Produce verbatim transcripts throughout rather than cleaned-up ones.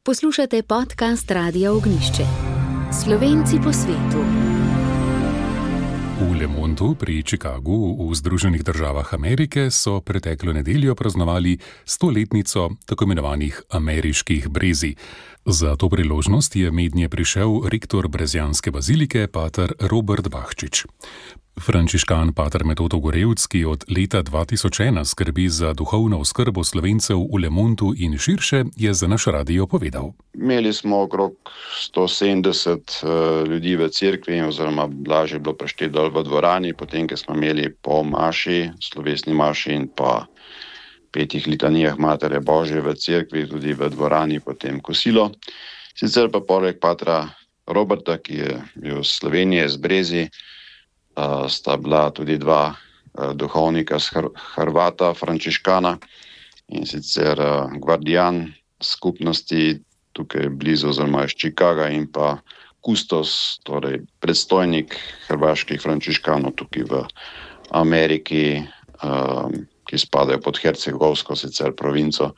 Poslušate podcast Radia Ognjišče. Slovenci po svetu. V Le Mondu pri Chicagu v Združenih državah Amerike so preteklo nedeljo praznovali stoletnico tako imenovanih ameriških brezij. Za to priložnost je mednje prišel rektor brezjanske bazilike, pater Robert Bahčič. Frančiškan pater Metod Ogorevc, ki od leta dva tisoč ena skrbi za duhovno oskrbo Slovencev v Le Mondu in širše, je za naš radio povedal. Imeli smo okrog sto sedemdeset uh, ljudi v cerkvi, oziroma lažje bilo prešteti dol v dvorani, potem, ko smo imeli po maši, slovesni maši in pa petih litanijah Matere Božje v cerkvi, tudi v dvorani, potem kosilo. Sicer pa poleg patra Roberta, ki je bil iz Slovenije, z Brezij, Uh, sta bila tudi dva uh, duhovnika z Hr- Hrvata, Frančiškana, in sicer uh, gvardijan skupnosti tukaj blizu, oziroma iz Chicaga, in pa kustos, torej predstojnik hrvaških Frančiškanov tukaj v Ameriki, uh, ki spadajo pod Hercegovsko sicer provinco.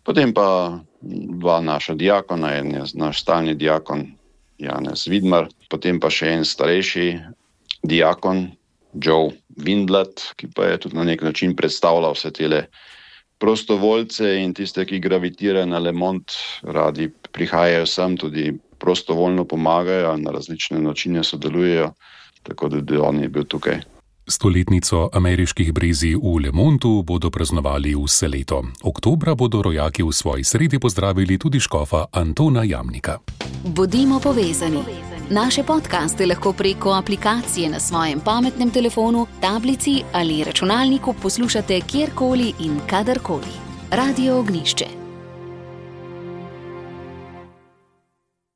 Potem pa dva naša diakona, en je naš stalni diakon Janez Vidmar, potem pa še en starejši diakon Joe Windlat, ki pa je tudi na nek način predstavljal vse tele prostovoljce in tiste, ki gravitirajo na Le Mond, radi prihajajo sem, tudi prostovoljno pomagajo, na različne načine sodelujejo, tako da bi on je bil tukaj. Stoletnico ameriških brezij v Le Mondu bodo praznovali vse leto. Oktobra bodo rojaki v svoji sredi pozdravili tudi škofa Antona Jamnika. Bodimo povezani. Naše podcaste lahko preko aplikacije na svojem pametnem telefonu, tablici ali računalniku poslušate kjerkoli in kadarkoli. Radio Ognjišče.